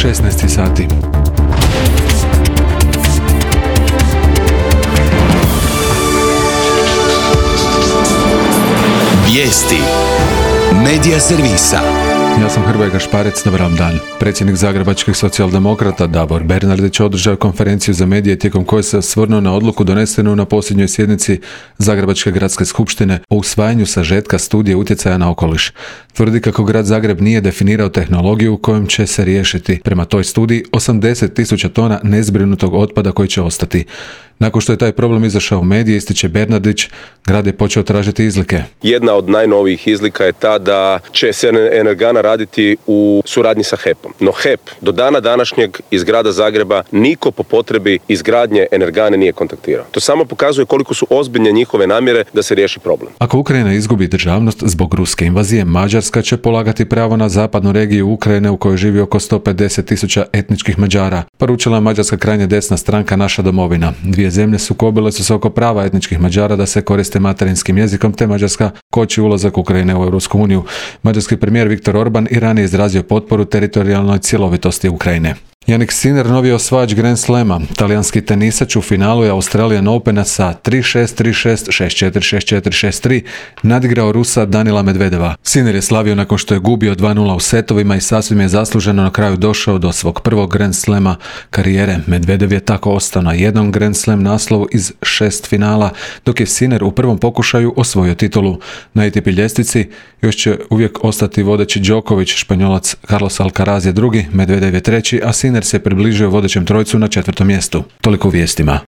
16 sati. Vijesti Medija servisa. Ja sam Hrvoje Gašparec, dobar vam dan. Predsjednik zagrebačkih socijaldemokrata Davor Bernardić održao konferenciju za medije tijekom koje se osvrnuo na odluku donesenu na posljednjoj sjednici Zagrebačke gradske skupštine o usvajanju sažetka studije utjecaja na okoliš. Tvrdi kako grad Zagreb nije definirao tehnologiju kojom će se riješiti, prema toj studiji, 80.000 tona nezbrinutog otpada koji će ostati. Nakon što je taj problem izašao u medije, ističe Bernardić, grad je počeo tražiti izlike. Jedna od najnovijih izlika je ta da će se Energana raditi u suradnji sa HEP-om. No HEP do dana današnjeg iz grada Zagreba niko po potrebi izgradnje Energane nije kontaktirao. To samo pokazuje koliko su ozbiljne njihove namjere da se riješi problem. Ako Ukrajina izgubi državnost zbog ruske invazije, Mađarska će polagati pravo na zapadnu regiju Ukrajine u kojoj živi oko 150.000 etničkih Mađara, poručila mađarska krajnje desna stranka Naša domovina. Dvije zemlje sukobile su se oko prava etničkih Mađara da se koriste materinskim jezikom, te Mađarska koči ulazak Ukrajine u Europsku uniju. Mađarski premijer Viktor Orban i ranije izrazio potporu teritorijalnoj cjelovitosti Ukrajine. Jannik Sinner, novi osvajač Grand Slama. Talijanski tenisač u finalu je Australian Opena sa 3-6, 3-6, 6-4, 6-4, 6-3 nadigrao Rusa Danila Medvedeva. Sinner je slavio nakon što je gubio 2-0 u setovima i sasvim je zasluženo na kraju došao do svog prvog Grand Slama karijere. Medvedev je tako ostao na jednom Grand Slam naslovu iz 6 finala, dok je Sinner u prvom pokušaju osvojio titulu. Na ATP ljestvici još će uvijek ostati vodeći Đoković, Španjolac Carlos Alcaraz je drugi, Medvedev je treći, a Sinner se približio vodećem trojcu na 4. mjestu. Toliko u vijestima.